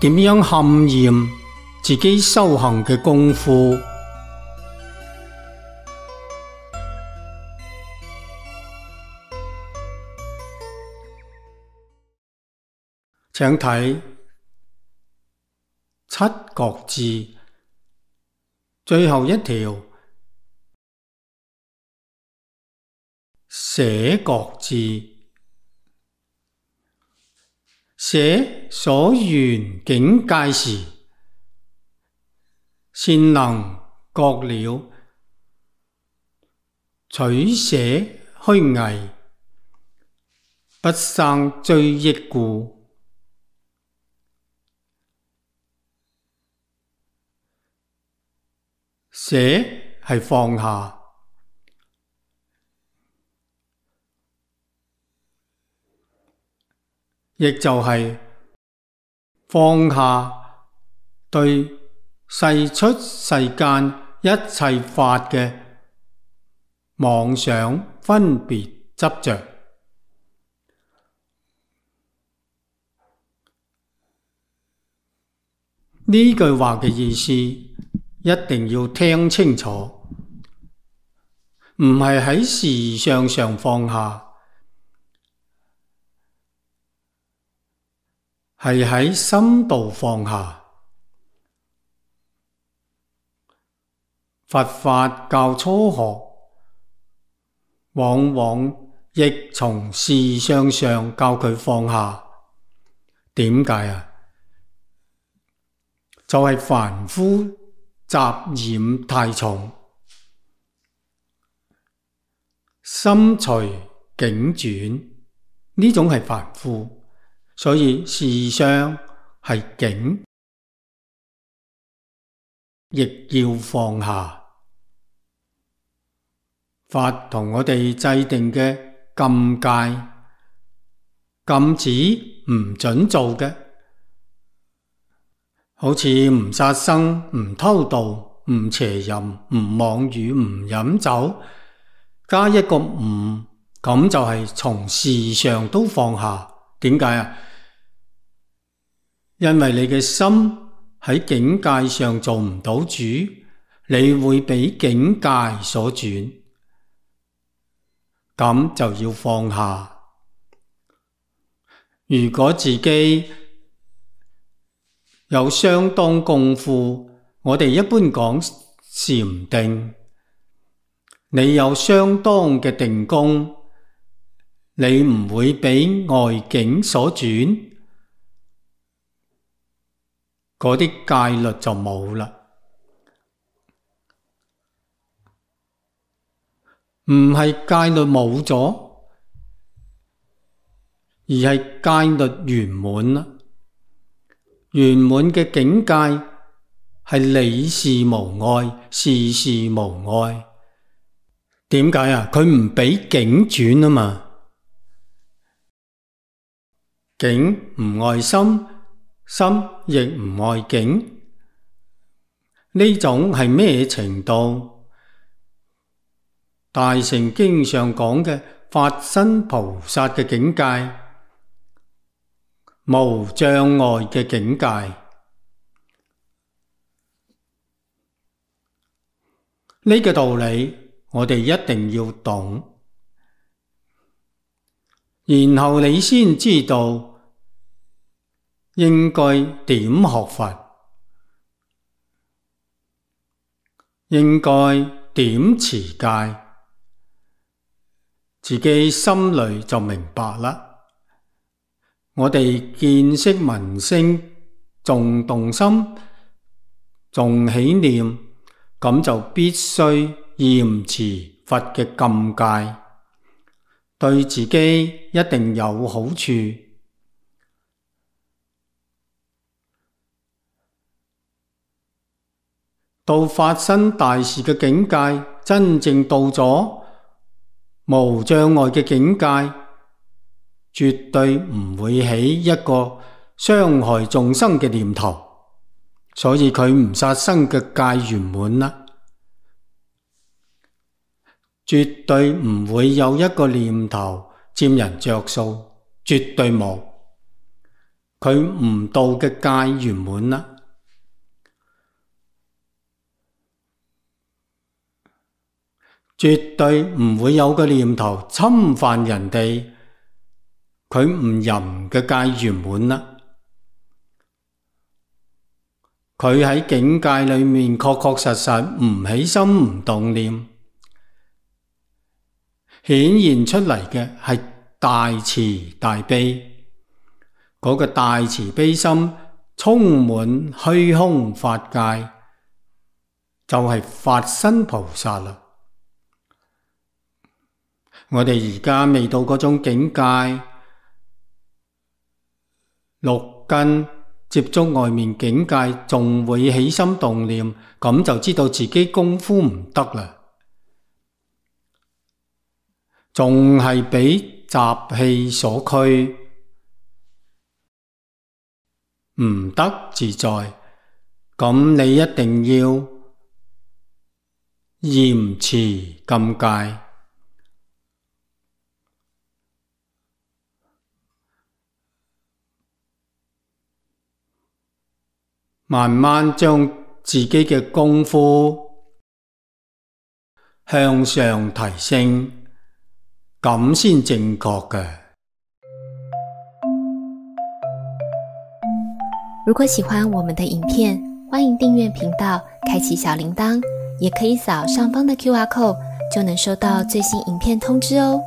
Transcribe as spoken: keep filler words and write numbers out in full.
點樣勘驗自己修行嘅功夫。請睇七覺字最後一條捨覺字，捨所緣境界時，善能覺了，取捨虛偽，不生追憶故。捨係放下，亦就係放下對世出世間一切法嘅妄想、分別、執着。呢句話嘅意思一定要聽清楚，唔係喺事相上放下，係喺心度放下。佛法教初學，往往亦從事相上教佢放下。點解啊？就係凡夫雜染太重，心隨境轉，呢種係凡夫，所以事相係境，亦要放下。法同我哋制定嘅禁戒，禁止唔准做嘅，好似唔殺生、唔偷盜、唔邪淫、唔妄語、唔飲酒，加一個唔，咁就係從事上都放下。點解啊？因為你嘅心喺境界上做唔到主，你會俾境界所轉，咁就要放下。如果自己有相當功夫，我哋一般講禪定，你有相當嘅定功，你唔會俾外境所轉，嗰啲戒律就冇啦。唔係戒律冇咗，而係戒律圓滿啦。圓滿嘅境界係理事無礙，事事無礙。點解啊？佢唔俾境轉啊嘛。境唔愛心，心亦唔愛境。呢種係咩程度？大乘經上講嘅法身菩薩嘅境界，無障礙嘅境界。呢個道理我哋一定要懂，然後你先知道應該點學佛，應該點持戒，自己心裏就明白啦。我哋見識聞聲，仲動心，仲起念，咁就必須嚴持佛嘅禁戒，對自己一定有好處。到發生大事嘅境界，真正到咗無障礙嘅境界，絕對唔會起一個傷害眾生嘅念頭，所以佢唔殺生嘅戒圓滿啦。絕對唔會有一個念頭佔人着數，絕對冇。佢悟道嘅戒圓滿啦。絕對唔會有個念頭侵犯人哋，佢唔淫嘅戒圓滿啦。佢喺境界裏面確確實實唔起心唔動念，顯現出嚟嘅係大慈大悲，嗰個大慈悲心充滿虛空法界，就係法身菩薩啦。我哋而家未到嗰種境界，六根接觸外面境界仲會起心動念，咁就知道自己功夫唔得啦，仲係俾習氣所驅，唔得自在。咁你一定要嚴持禁戒，慢慢將自己嘅功夫向上提升，咁先正確嘅。如果喜歡我們的影片，歡迎訂閱頻道，開啟小鈴鐺，也可以掃上方的 Q R code，就能收到最新影片通知哦。